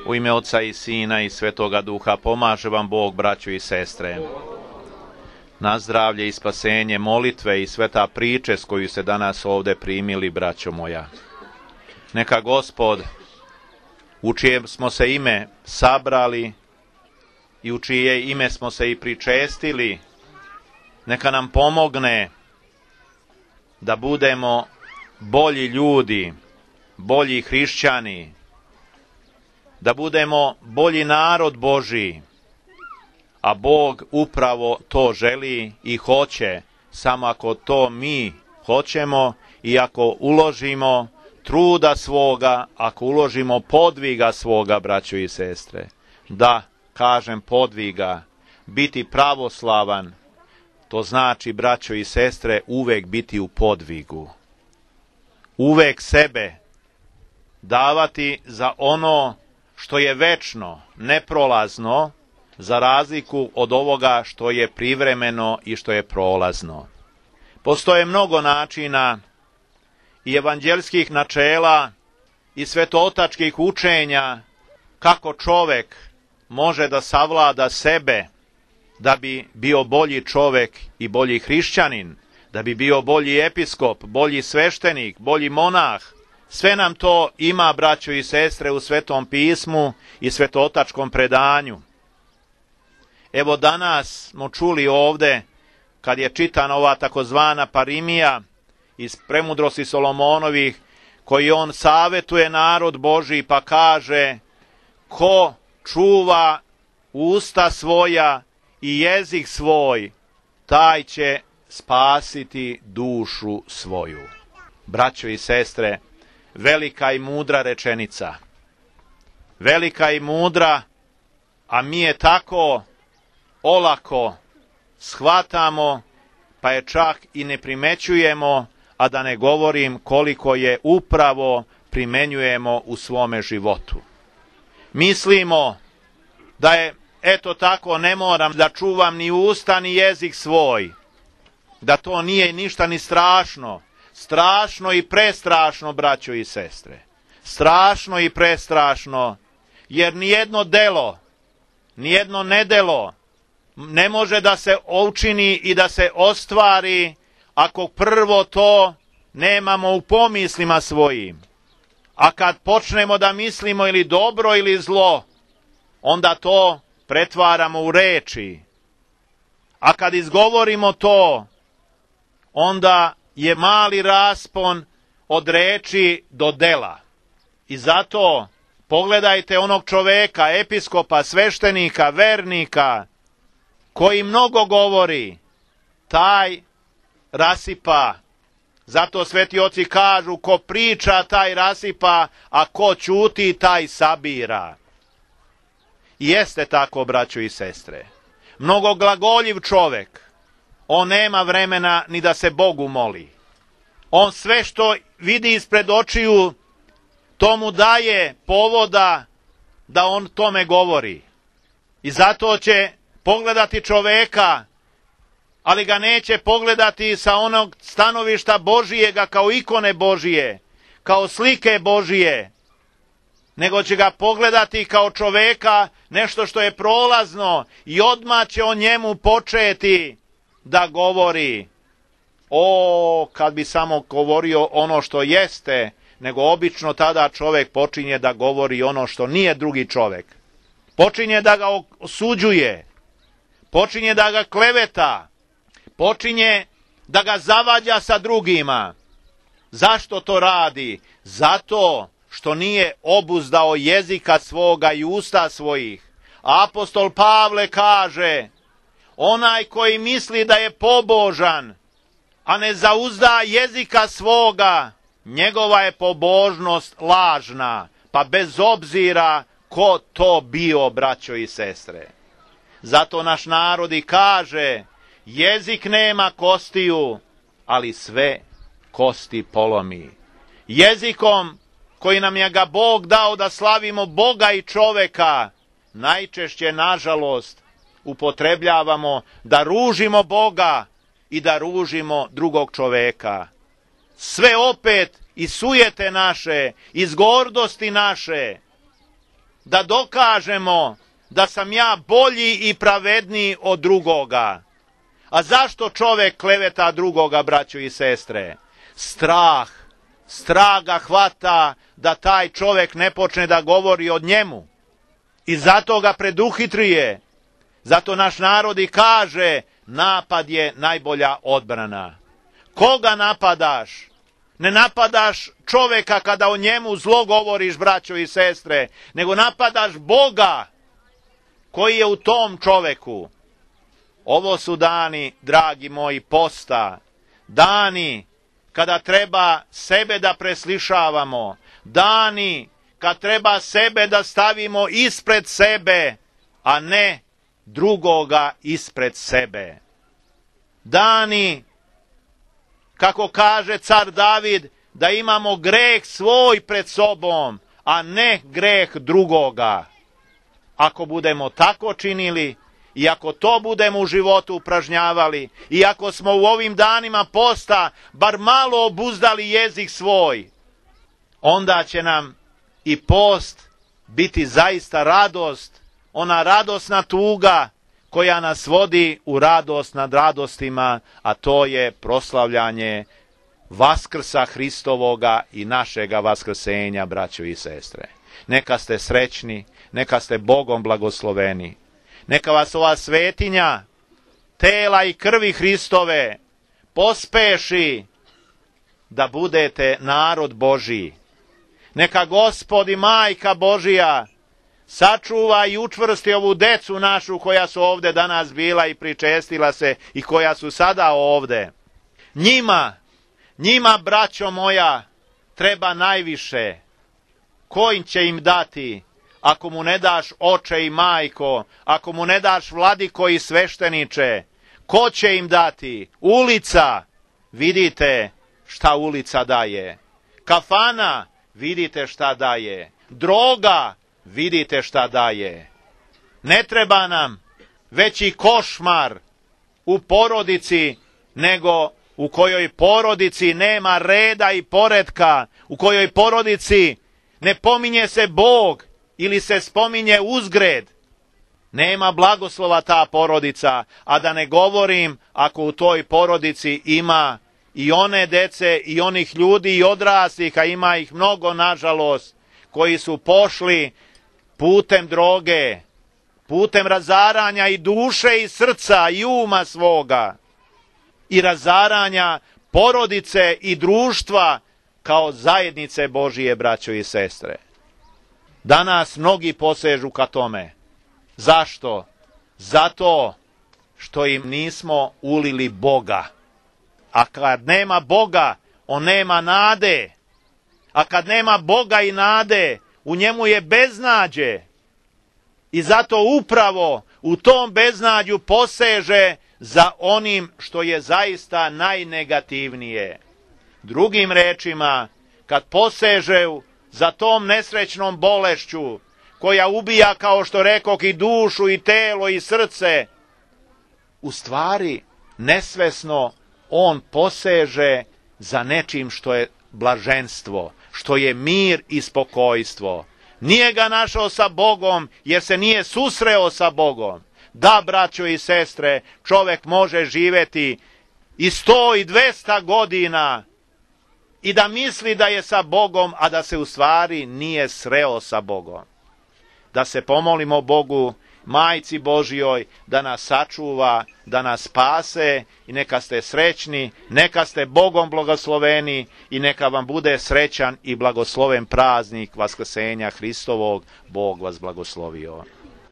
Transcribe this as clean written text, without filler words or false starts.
U ime Oca i Sina i Svetoga Duha pomaže vam Bog, braćo i sestre. Na zdravlje i spasenje, molitve i sveta priče s koju se danas ovdje primili, braćo moja. Neka Gospod, u čije smo se ime sabrali i u čije ime smo se i pričestili, neka nam pomogne da budemo bolji ljudi, bolji hrišćani, da budemo bolji narod Božji, a Bog upravo to želi i hoće, samo ako to mi hoćemo i ako uložimo truda svoga, ako uložimo podviga svoga, braćo i sestre. Da, kažem podviga, biti pravoslavan, to znači, braćo i sestre, uvek biti u podvigu. Uvek sebe davati za ono što je večno, neprolazno, za razliku od ovoga što je privremeno i što je prolazno. Postoje mnogo načina i evanđelskih načela i svetootačkih učenja kako čovek može da savlada sebe da bi bio bolji čovek i bolji hrišćanin, da bi bio bolji episkop, bolji sveštenik, bolji monah. Sve nam to ima, braćo i sestre, u Svetom pismu i svetootačkom predanju. Evo danas smo čuli ovde, kad je čitana ova takozvana parimija iz Premudrosti Solomonovih, koji on savetuje narod Božji pa kaže: ko čuva usta svoja i jezik svoj, taj će spasiti dušu svoju. Braćo i sestre, velika i mudra rečenica. Velika i mudra, a mi je tako olako shvatamo, pa je čak i ne primećujemo, a da ne govorim koliko je upravo primenjujemo u svome životu. Mislimo da je, eto tako, ne moram da čuvam ni usta ni jezik svoj, da to nije ništa ni strašno. Strašno i prestrašno, braćo i sestre. Strašno i prestrašno, jer nijedno delo, nijedno nedelo ne može da se učini i da se ostvari ako prvo to nemamo u pomislima svojim. A kad počnemo da mislimo ili dobro ili zlo, onda to pretvaramo u reči. A kad izgovorimo to, onda je mali raspon od reči do dela. I zato pogledajte onog čoveka, episkopa, sveštenika, vernika, koji mnogo govori, taj rasipa. Zato sveti oci kažu: ko priča, taj rasipa, a ko ćuti, taj sabira. I jeste tako, braćo i sestre. Mnogo glagoljiv čovek, on nema vremena ni da se Bogu moli. On sve što vidi ispred očiju, to mu daje povoda da on tome govori. I zato će pogledati čoveka, ali ga neće pogledati sa onog stanovišta Božijega, kao ikone Božije, kao slike Božije, nego će ga pogledati kao čoveka, nešto što je prolazno, i odmah će o njemu početi da govori. O, kad bi samo govorio ono što jeste, nego obično tada čovek počinje da govori ono što nije drugi čovek. Počinje da ga osuđuje, počinje da ga kleveta, počinje da ga zavađa sa drugima. Zašto to radi? Zato što nije obuzdao jezika svoga i usta svojih. Apostol Pavle kaže: onaj koji misli da je pobožan, a ne zauzda jezika svoga, njegova je pobožnost lažna, pa bez obzira ko to bio, braćo i sestre. Zato naš narod i kaže: jezik nema kostiju, ali sve kosti polomi. Jezikom koji nam je ga Bog dao da slavimo Boga i čoveka, najčešće, nažalost, upotrebljavamo da ružimo Boga i da ružimo drugog čoveka. Sve opet iz sujete naše, iz gordosti naše, da dokažemo da sam ja bolji i pravedniji od drugoga. A zašto čovjek kleveta drugoga, braćo i sestre? Strah. Strah ga hvata da taj čovjek ne počne da govori od njemu. I zato ga preduhitrije. Zato naš narod i kaže, napad je najbolja odbrana. Koga napadaš? Ne napadaš čovjeka kada o njemu zlo govoriš, braćo i sestre, nego napadaš Boga koji je u tom čovjeku. Ovo su dani, dragi moji, posta. Dani kada treba sebe da preslišavamo. Dani kad treba sebe da stavimo ispred sebe, a ne drugoga ispred sebe. Dani, kako kaže car David, da imamo greh svoj pred sobom, a ne greh drugoga. Ako budemo tako činili, i ako to budemo u životu upražnjavali, i ako smo u ovim danima posta bar malo obuzdali jezik svoj, onda će nam i post biti zaista radost, ona radosna tuga koja nas vodi u radost nad radostima, a to je proslavljanje Vaskrsa Hristovoga i našega vaskrsenja, braćo i sestre. Neka ste srećni, neka ste Bogom blagosloveni. Neka vas ova svetinja tela i krvi Hristove pospeši da budete narod Božji. Neka Gospod i Majka Božija sačuva i učvrsti ovu decu našu koja su ovde danas bila i pričestila se i koja su sada ovde. Njima, braćo moja, treba najviše. Ko će im dati? Ako mu ne daš oče i majko, ako mu ne daš vladiko i svešteniče, ko će im dati? Ulica, vidite šta ulica daje. Kafana, vidite šta daje. Droga, vidite šta daje. Ne treba nam veći košmar u porodici, nego u kojoj porodici nema reda i poretka, u kojoj porodici ne pominje se Bog ili se spominje uzgred. Nema blagoslova ta porodica, a da ne govorim ako u toj porodici ima i one dece i onih ljudi i odraslih, a ima ih mnogo nažalost, koji su pošli putem droge, putem razaranja i duše i srca i uma svoga i razaranja porodice i društva kao zajednice Božije, braćo i sestre. Danas mnogi posežu ka tome. Zašto? Zato što im nismo ulili Boga. A kad nema Boga, on nema nade. A kad nema Boga i nade, u njemu je beznađe. I zato upravo u tom beznađu poseže za onim što je zaista najnegativnije. Drugim rečima, kad poseže za tom nesrećnom bolešću, koja ubija, kao što rekoh, i dušu, i telo, i srce, u stvari, nesvesno, on poseže za nečim što je blaženstvo, što je mir i spokojstvo. Nije ga našao sa Bogom, jer se nije susreo sa Bogom. Da, braćo i sestre, čovjek može živjeti i 100 i 200 godina i da misli da je sa Bogom, a da se u stvari nije sreo sa Bogom. Da se pomolimo Bogu, Majci Božjoj, da nas sačuva, da nas spase i neka ste srećni, neka ste Bogom blagosloveni i neka vam bude srećan i blagosloven praznik Vaskrsenja Hristovog. Bog vas blagoslovio.